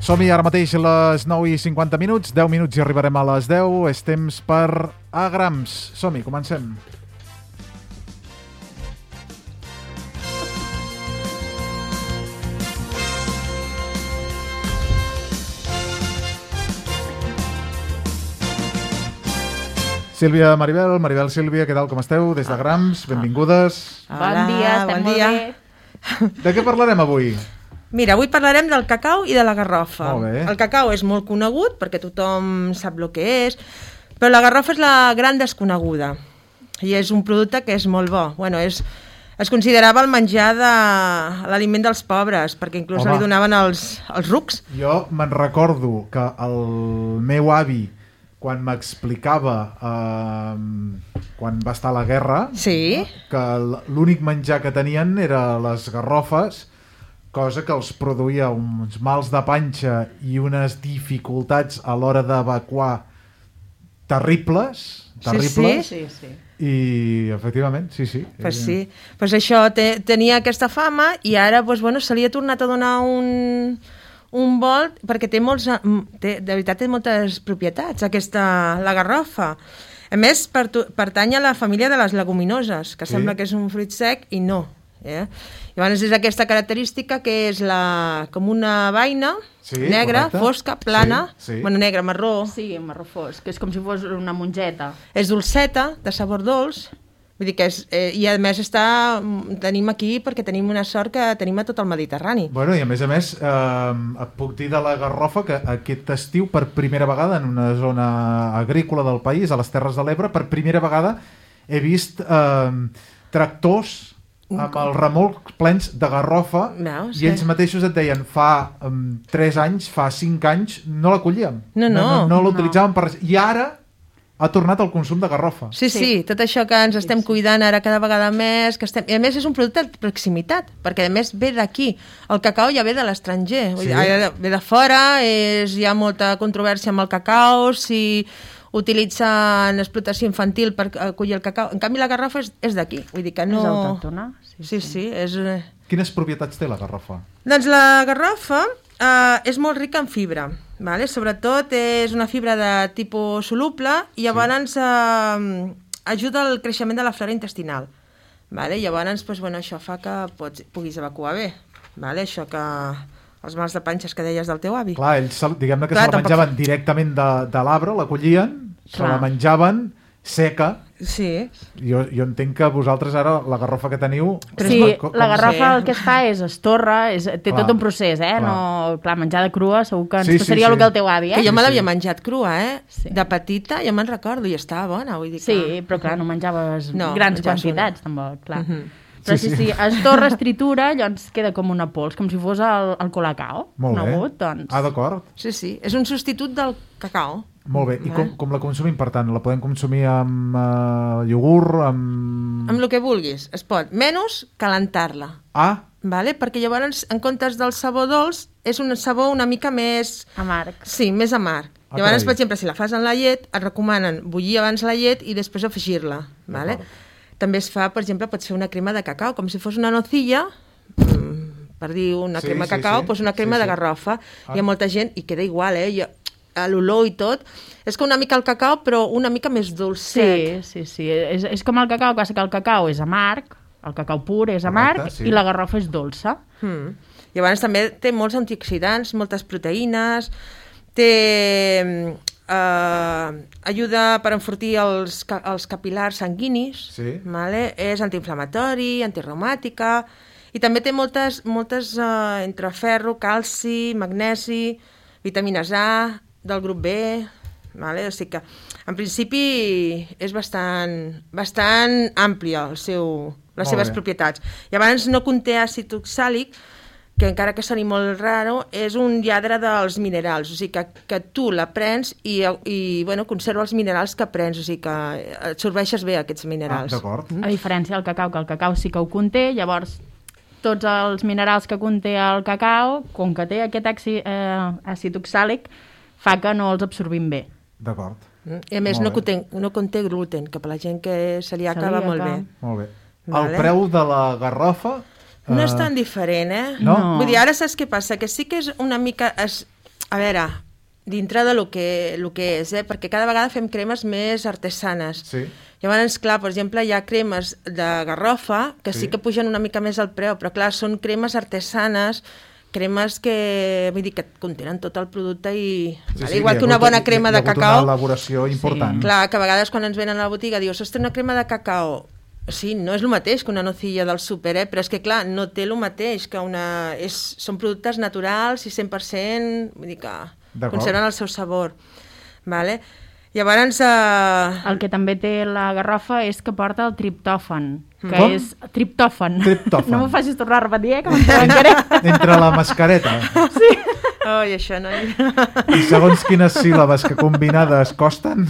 Som-hi ara mateix a les 9:50, 10 minuts i arribarem a les 10. És temps per Agrams. Som-hi, comencem. Sílvia, Maribel, Sílvia, què tal, com esteu? Des de Grams, benvingudes. Bon dia, estem molt bé. De què parlarem avui? Mira, avui parlarem del cacau i de la garrofa. Molt bé. El cacau és molt conegut perquè tothom sap el que és, però la garrofa és la gran desconeguda i és un producte que és molt bo. Bueno, es considerava el menjar de l'aliment dels pobres, perquè inclús li donaven els rucs. Jo me'n recordo que el meu avi, quan m'explicava quan va estar a la guerra, sí, que l'únic menjar que tenien era les garrofes, cosa que els produïa uns mals de panxa i unes dificultats a l'hora d'evacuar terribles. Sí. I efectivament, sí. Pues sí, pues això tenia aquesta fama i ara se li ha tornat a donar un volt, perquè de veritat té moltes propietats, la garrofa. A més, pertany a la família de les leguminoses, que sembla que és un fruit sec i no. Llavors és aquesta característica que és com una vaina negra, fosca, plana, bueno, negra, marró. Sí, marró fosc, que és com si fos una mongeta. És dolceta, de sabor dolç. Vull dir que i a més tenim aquí perquè tenim una sort que tenim a tot el Mediterrani. Bueno, i a més et puc dir de la garrofa que aquest estiu, per primera vegada en una zona agrícola del país, a les Terres de l'Ebre, per primera vegada he vist tractors amb els remolcs plens de garrofa. I ells mateixos et deien, fa 3 anys, fa 5 anys, no la collíem. No l'utilitzàvem per res. I ara ha tornat el consum de garrofa. Sí, tot això que ens estem cuidant ara cada vegada més, I a més és un producte de proximitat, perquè a més ve d'aquí. El cacau ja ve de l'estranger, ve de fora, hi ha molta controvèrsia amb el cacau, si utilitzen explotació infantil per collir el cacau. En canvi la garrofa és d'aquí, vull dir que no... És autòctona? Sí, és... Quines propietats té la garrofa? Doncs la garrofa és molt rica en fibra, sobretot és una fibra de tipus soluble i llavors ajuda al creixement de la flora intestinal. Llavors això fa que puguis evacuar bé. Això que els mals de panxes que deies del teu avi. Clar, ells diguem-ne que se la menjaven directament de l'arbre, la collien, se la menjaven seca. Sí. Jo entenc que vosaltres ara la garrofa que teniu... Sí, la garrofa el que es fa és estorra, té tot un procés, menjada crua segur que ens passaria el que el teu avi, Que jo me l'havia menjat crua, de petita, ja me'n recordo, i estava bona, vull dir que... Sí, però clar, no menjaves grans quantitats, tampoc, clar. Però sí, estorra, es tritura, llavors queda com una pols, com si fos el colacao. Molt bé. D'acord. Sí, és un substitut del cacau. Molt bé, i com la consumim, per tant? La podem consumir amb iogurt, amb el que vulguis, es pot, menys calentar-la. Perquè llavors, en comptes del sabor dolç, és un sabor una mica més... amarg. Sí, més amarg. Llavors, per exemple, si la fas en la llet, et recomanen bullir abans la llet i després afegir-la. També es fa, per exemple, pots fer una crema de cacau, com si fos una nocilla, per dir una crema de cacau, doncs una crema de garrofa. Hi ha molta gent, i queda igual, l'olor i tot, és com una mica el cacau, però una mica més dolcet. Sí. És com el cacau, que el cacau és amarg, el cacau pur és amarg, i la garrofa és dolça. Llavors també té molts antioxidants, moltes proteïnes, ajuda per enfortir els capil·lars sanguinis, és antiinflamatori, antireumàtica, i també té moltes entre ferro, calci, magnesi, vitamines A, del grup B, o sigui que en principi és bastant àmplia les seves propietats. Llavors no conté àcid oxàlic, que encara que soni molt raro, és un lladre dels minerals, o sigui que tu la prens i conserva els minerals que prens, o sigui que absorbeixes bé aquests minerals. D'acord. A diferència del cacau, que el cacau sí que ho conté, llavors tots els minerals que conté el cacau, com que té aquest àcid oxàlic, fa que no els absorbim bé. D'acord. I a més no conté gluten, que per la gent que se li acaba molt bé. Molt bé. El preu de la garrofa... No és tan diferent, No? Vull dir, ara saps què passa? Que sí que és una mica... A veure, dintre de lo que és, perquè cada vegada fem cremes més artesanes. Sí. Llavors, clar, per exemple, hi ha cremes de garrofa que sí que pugen una mica més el preu, però clar, són cremes artesanes, cremes que, vull dir, que contenen tot el producte i... igual que una bona crema de cacau... Hi ha hagut una elaboració important. Clar, que a vegades quan ens venen a la botiga dius, ostres, una crema de cacau... Sí, no és el mateix que una nocilla del súper, però és que, clar, no té el mateix que una... Són productes naturals i 100%, vull dir que conserven el seu sabor. Vale? Llavors... El que també té la garrofa és que porta el triptòfan, que Com? és... Triptòfan. Triptòfan. No m'ho facis tornar a repetir, que m'encaré. Entre la mascareta. Sí. Ai, això no... I segons quines síl·labes que combinades costen...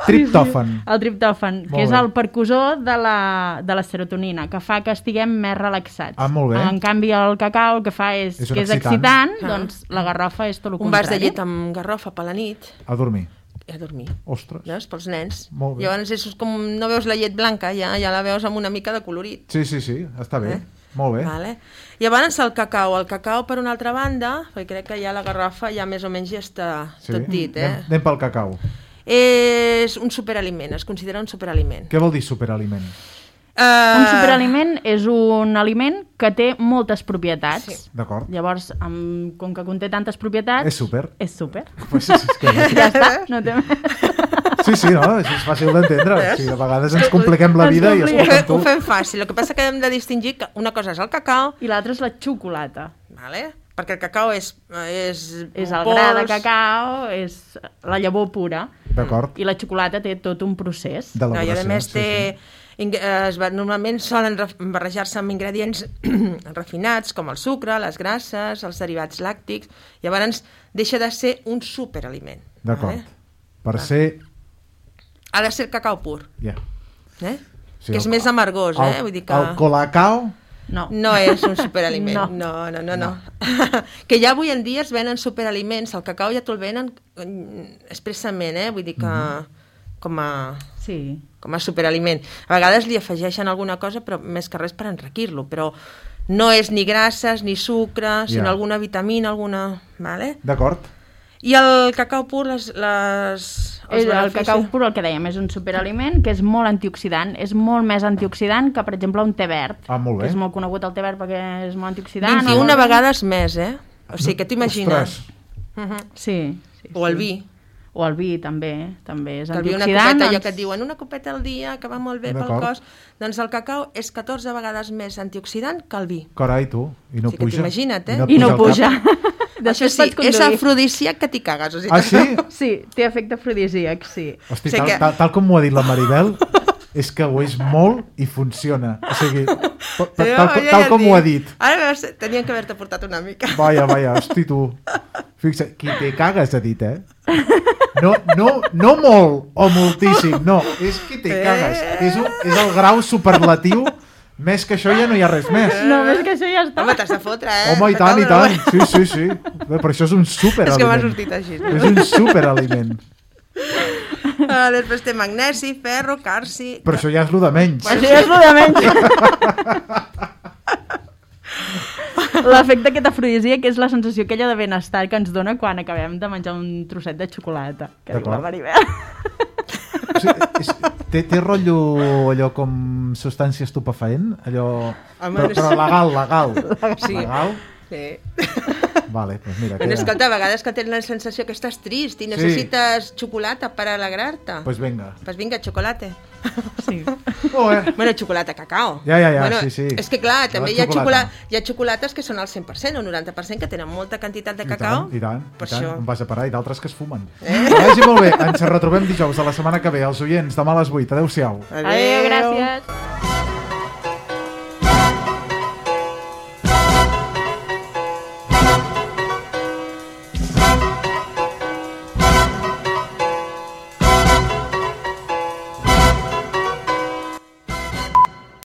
Triptòfan. Sí. El triptòfan, que és el percussor de la serotonina, que fa que estiguem més relaxats. Ah, molt bé. En canvi, el cacau el que fa és que és excitant, doncs la garrofa és tot el contrari. Un vas de llet amb garrofa per la nit. A dormir. A dormir. Ostres. Veus? Pels nens. Molt bé. Llavors és com no veus la llet blanca, ja la veus amb una mica de colorit. Sí, està bé. Molt bé. Vale. Llavors el cacau. El cacau, per una altra banda, perquè crec que ja la garrofa ja més o menys ja està tot dit. Anem pel cacau. És un superaliment, es considera un superaliment. Què vol dir superaliment? Un superaliment és un aliment que té moltes propietats. Sí. D'acord. Llavors, com que conté tantes propietats... És súper. És súper. Pues és que... Ja està, no té... Sí, no? Això és fàcil d'entendre. Sí, de vegades ens compliquem la vida i escolta'm tu... Ho fem fàcil. El que passa que hem de distingir que una cosa és el cacau... I l'altra és la xocolata. Vale? Perquè el cacau és el gra de cacau, és la llavor pura. D'acord. I la xocolata té tot un procés. I a més normalment solen barrejar-se amb ingredients refinats com el sucre, les grasses, els derivats làctics. Llavors deixa de ser un superaliment. D'acord. Per ser... Ha de ser cacau pur. Ja. Que és més amargós, Vull dir que... El colacao... No és un superaliment. No. Que ja avui en dia es venen superaliments, el cacau ja te'l venen expressament, vull dir que com a superaliment. A vegades li afegeixen alguna cosa, però més que res per enriquir-lo, però no és ni grasses ni sucre, sinó alguna vitamina, alguna... Vale? D'acord. I el cacau pur, el cacau pur, el que dèiem, és un superaliment que és molt antioxidant, és molt més antioxidant que, per exemple, un té verd. Ah, molt bé. Que és molt conegut el té verd perquè és molt antioxidant. 21 vegades més, O sigui, que t'imagines? Sí. O el vi. O el vi, també és antioxidant. El vi, una copeta, allò que et diuen, una copeta al dia, que va molt bé pel cos. Doncs el cacau és 14 vegades més antioxidant que el vi. Carai, tu, i no puja. Imagina't, I no puja. Això sí, és afrodisíac que t'hi cagues. Ah, sí? Sí, té efecte afrodisíac, sí. Hosti, tal com m'ho ha dit la Maribel, és que ho és molt i funciona. O sigui, tal com ho ha dit. Ara tenien que haver-te portat una mica. Vaja, hosti, tu. Fixa't, qui te cagues, ha dit, No molt o moltíssim, no. És qui te cagues. És el grau superlatiu. Més que això ja no hi ha res més. No, més que això ja està. Home, t'has de fotre, Home, i tant. Sí. Bé, però això és un superaliment. És que m'ha sortit així. És un superaliment. Després té magnesi, ferro, calci... Però això ja és el de menys. Això ja és el de menys. L'efecte aquest afrodisíac és la sensació aquella de benestar que ens dona quan acabem de menjar un trosset de xocolata. Que diu la Maribel. Té rotllo allò com substància estupefaent? Però legal. Sí. Legal? Sí. Vale, doncs mira. Escolta, a vegades que tens la sensació que estàs trist i necessites xocolata per alegrar-te. Pues vinga, xocolate. Sí. Bueno, xocolata, cacao. Ja, bueno, sí. És que clar, també hi ha xocolates que són al 100% o 90% que tenen molta quantitat de cacao. I tant. On vas a parar? I d'altres que es fumen. Vagi molt bé, ens retrobem dijous de la setmana que ve. Els oients, demà a les 8. Adéu-siau. Adéu, gràcies.